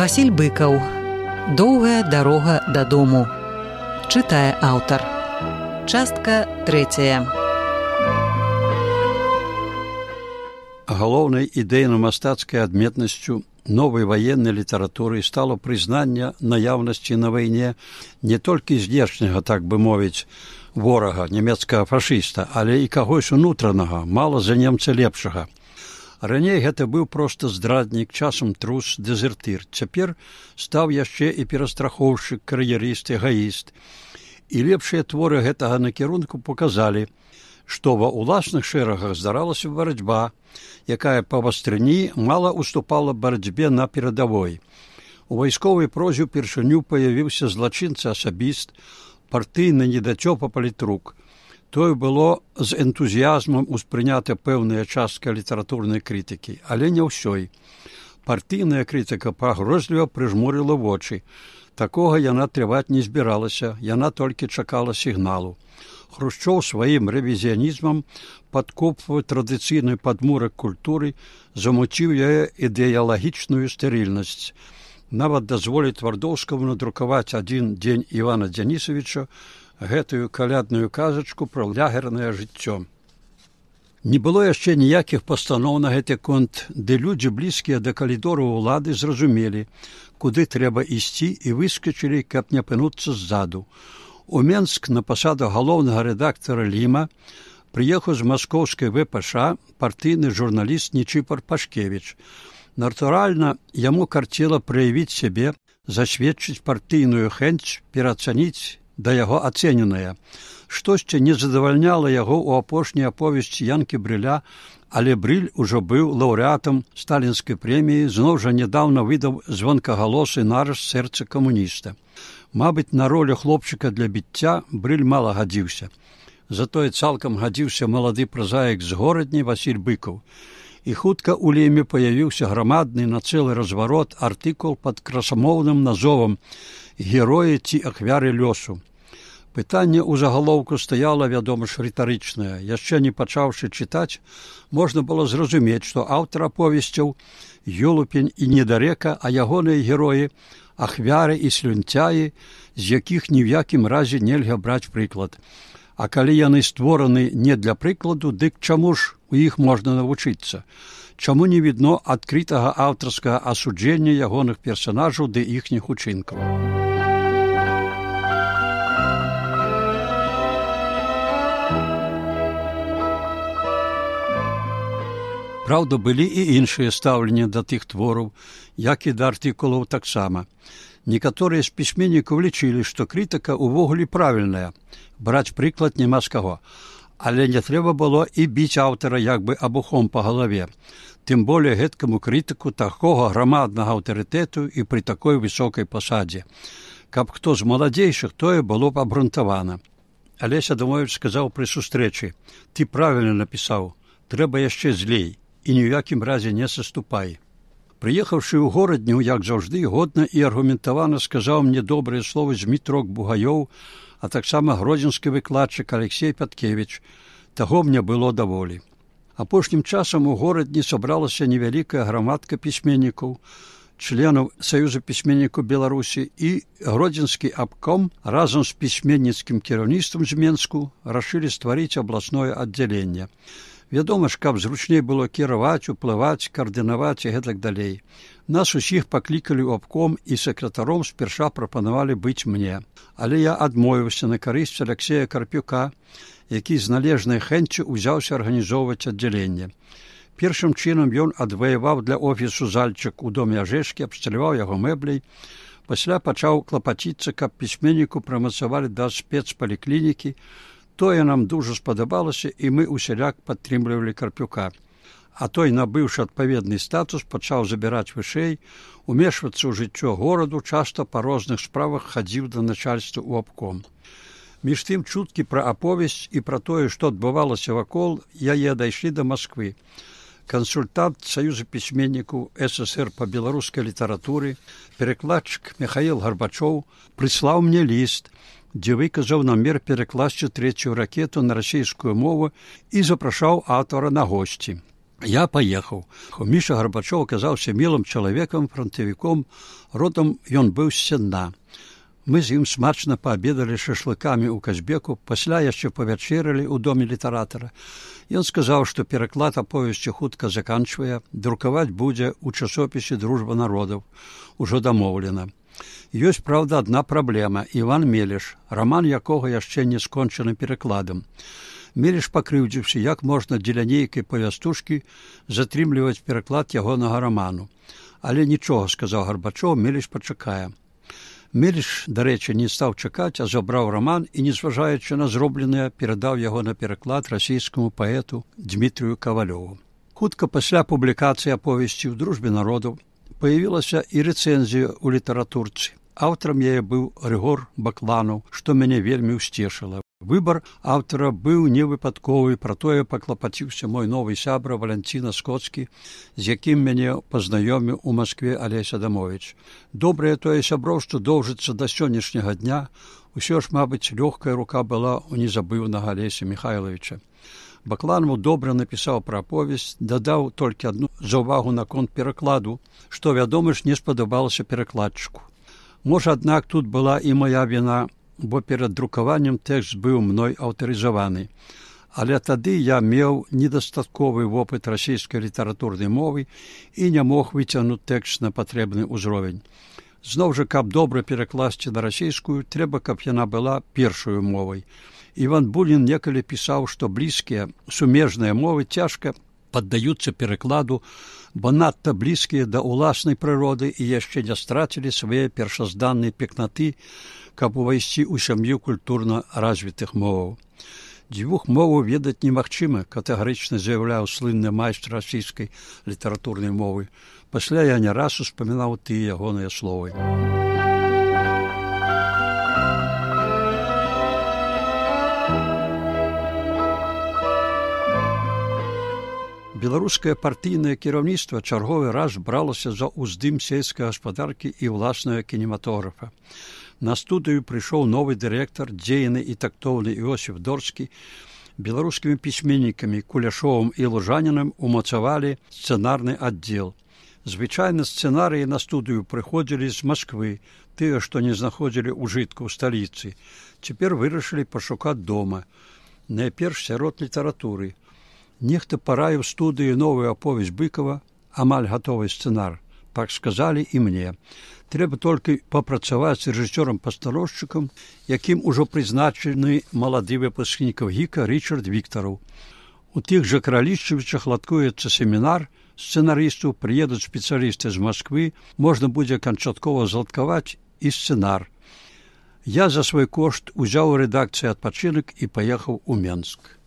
Васіль Быкаў. Доўгая дарога дадому. Чытае аўтар. Частка 3. Галоўнай ідэйна-мастацкай адметнасцю новай ваеннай літаратуры стало прызнанне наяўнасці на вайне не толькі знешняга, так бы мовіць, ворага, нямецкага фашыста, але і кагось унутранага, мала за немца лепшага. Раней гэта быў проста здраднік, часам трус, дэзертыр. Цяпер стаў яшчэ і перастрахоўшчык, кар'ерыст, эгаіст. І лепшыя творы гэтага накірунку показалі, што ва ўласных шэрагах здаралася барацьба, якая па вастрыні мала уступала барацьбе на перадавой. У вайсковай прозе ўпершыню паявіўся злачынца-асабіст, партыйны недацёпа палітрук. Тое было з энтузіязмам успрынята пэўная частка літаратурнай крытыкі, але не ўсёй. Партыйная крытыка пагрозліва прыжмурыла вочы. Такога яна трываць не збіралася, яна толькі чакала сігналу. Хрушчоў сваім рэвізіянізмам падкопваў традыцыйны падмурак культуры, замуціў яе ідэалагічную стэрыльнасць. Нават дазволіць Твардоўскаму надрукаваць адзін дзень Івана Дзянісавіча, гэтую калядную казачку пра лягернае жыццё. Не было яшчэ ніякіх пастаноў на гэты конт, ды людзі, блізкія да калідораў улады, зразумелі, куды трэба ісці, і выскачылі, каб не апынуцца ззаду. У Менск на пасаду галоўнага рэдактара Ліма прыехаў з маскоўскай ВПШ партыйны журналіст Нічыпар Пашкевіч. Натуральна, яму карцела праявіць сябе, засведчыць партыйную хэнць, пераацаніць да яго ацэненае. Штосьці не задавальняла яго ў апошняй аповесці Янкі Брыля, але Брыль ужо быў лаўрэатам сталінскай прэміі, зноў жа нядаўна выдаў звонкагалосы нарыс сэрца камуніста. Мабыць, на ролю хлопчыка для біцця Брыль мала гадзіўся. Затое цалкам гадзіўся малады празаік з горадні Васіль Быкаў. І хутка ў Ліме паявіўся грамадны на цэлы разварот артыкул пад красамоўным назовам «Героі ці ахвяры лёсу». Пытанне ў загалоўку стаяла, вядома ж, рытарычнае. Яшчэ не пачаўшы чытаць, можна было зразумець, што аўтар аповесцяў Ёлупень і Недарека, а ягоныя героі ахвяры і слюнцяі, з якіх ні ў якім разе нельга браць прыклад. А калі яны створаны не для прыкладу, дык чаму ж у іх можна навучыцца? Чаму не відно адкрытага аўтарскага асуджэння ягоных персанажаў ды іхніх учынкаў? Праўда, былі і іншыя стаўленні да тых твораў, як і да артыкулаў таксама. Некаторыя з пісьменнікаў лічылі, што крытыка ўвогуле правільная, браць прыклад няма з каго. Але не трэба было і біць аўтара як бы абухом па галаве. Тым болей гэткаму крытыку такога грамаднага аўтарытэту і пры такой высокай пасадзе. Каб хто з маладзейшых, тое было б абрунтавана. Алесь Адамовіч сказаў пры сустрэчы: «Ты правільна напісаў, трэба яшчэ злей, і ні ў якім разе не саступай». Прыехаўшы ў горадню, як заўжды, годна і аргументавана сказаў мне добрыя словы Змітрок Бугаёў, а таксама гродзенскі выкладчык Алексей Пяткевіч. Таго мне было даволі. Апошнім часам у горадні сабралася невялікая грамадка пісьменнікаў, членаў Саюза пісьменнікаў Беларусі, і гродзенскі абком разам з пісьменніцкім кіраўніцтвам з Менску рашылі стварыць абласное аддзяленне. Вядома ж, каб зручней было кіраваць, уплываць, каардынаваць і гэтак далей. Нас усіх паклікалі ў абком і сакратаром спярша прапанавалі быць мне. Але я адмовіўся на карысць Аляксея Карпюка, які з належнай хэнццю ўзяўся арганізоўваць аддзяленне. Першым чынам ён адваяваў для офісу зальчык у доме Ажэшкі, абсталяваў яго мэбляй. Пасля пачаў клапаціцца, каб пісьменніку прамацавалі да спецпаліклінікі. Тое нам дужа спадабалася, і мы усяляк падтрымлівалі Карпюка. А той, набыўшы адпаведны статус, пачаў забіраць вышэй, умешвацца ў жыццё гораду, часта па розных справах хадзіў да начальства ў абком. Між тым чуткі пра аповесць і пра тое, што адбывалася вакол, яе дайшлі да Масквы. Кансультант Саюза пісьменнікаў ССР па беларускай літаратуры, перакладчык Михаил Гарбачоў прыслаў мне ліст, дзе выказаў намер перакласці трэцюю ракету на расійскую мову і запрашаў аўтара на госці. Я паехаў. Міша Гарбачоў аказаўся мілым чалавекам, фронтавіком, родам ён быў з Сенна. Мы з ім смачна паабедалі шашлыкамі ў Казбеку, пасля яшчэ павячэралі ў доме літаратара. Ён сказаў, што пераклад аповесці хутка заканчвае, друкаваць будзе ў часопісе «Дружба народаў». Ужо дамоўлена. Ёсць, праўда, адна праблема – Іван Меліш, раман якога яшчэ не скончаны перакладам. Меліш пакрыўдзіўся, як можна дзеля нейкай павястушкі затрымліваць пераклад ягонага раману. Але нічога, сказаў Гарбачоў, Меліш пачакае. Меліш, дарэчы, не стаў чакаць, а забраў раман і, незважаючы на зробленае, перадаў яго на пераклад расійскаму паэту Дмітрію Кавалёву. Хутка пасля публікацыі аповесці ў «Дружбе народаў» паявілася і рэцэнзія ў літаратурцы. Аўтарам яе быў Рыгор Бакланаў, што мяне вельмі ўсцешыла. Выбар аўтара быў невыпадковы, пра тое паклапаціўся мой новы сябра Валянціна Скоцкі, з якім мяне пазнаёміў у Маскве Алесь Адамовіч. Добрае тое сяброўства доўжыцца да сённяшняга дня. Усё ж, мабыць, лёгкая рука была у незабыўнага Алеся Михайловича. Бакланаў добра напісаў пра аповесць, дадаў толькі адну заўвагу наконт перакладу, што, вядома ж, не спадабалася перакладчыку. Можа, аднак, тут была і моя віна, бо перад друкаваннем тэкст быў мной аўтарызаваны. Але тады я меў недастатковы вопыт расійскай літаратурнай мовы і не мог выцягнуць тэкст на патрэбны ўзровень. Зноў жа, каб добра перакласці на расійскую, трэба, каб яна была першаю мовай. Іван Бунін некалі пісаў, што блізкія, сумежныя мовы цяжка паддаюцца перакладу, бо надта блізкія да ўласнай прыроды і яшчэ не страцілі свае першазданныя пекнаты, каб увайсці ў сям'ю культурна развітых моваў. Дзвюх моваў ведаць немагчыма, катэгарычна заяўляў слынны майстр расійскай літаратурнай мовы. Пасля я не раз успамінаў тыя ягоныя словы. Беларускае партыйнае кіраўніцтва чарговы раз бралася за ўздым сельскай гаспадаркі і ўласнага кінематографа. На студыю прыйшоў новы дырэктар, дзейны і тактоўны Іосіф Дорскі. Беларускімі пісьменнікамі Куляшовым і Лужанінам умацавалі сцэнарны аддзел. Звычайна сцэнарыі на студыю прыходзілі з Масквы, тыя, што не знаходзілі ўжытку ў сталіцы. Цяпер вырашылі пашукаць дома. Найперш сярод літаратуры. Нехта параіў студыі новую аповесць Быкова, амаль гатовы сцэнар. Так сказалі і мне. Трэба толькі папрацаваць з рэжысёрам-пастановшчыкам, якім ужо прызначаны малады выпускнік ГІКа Рычард Віктараў. У тых жа Кралішчавічах ладкуецца семінар сцэнарыстаў, прыедуць спецыялісты з Масквы, можна будзе канчаткова зладкаваць і сцэнар. Я за свой кошт узяў у рэдакцыі адпачынак і паехаў у Менск.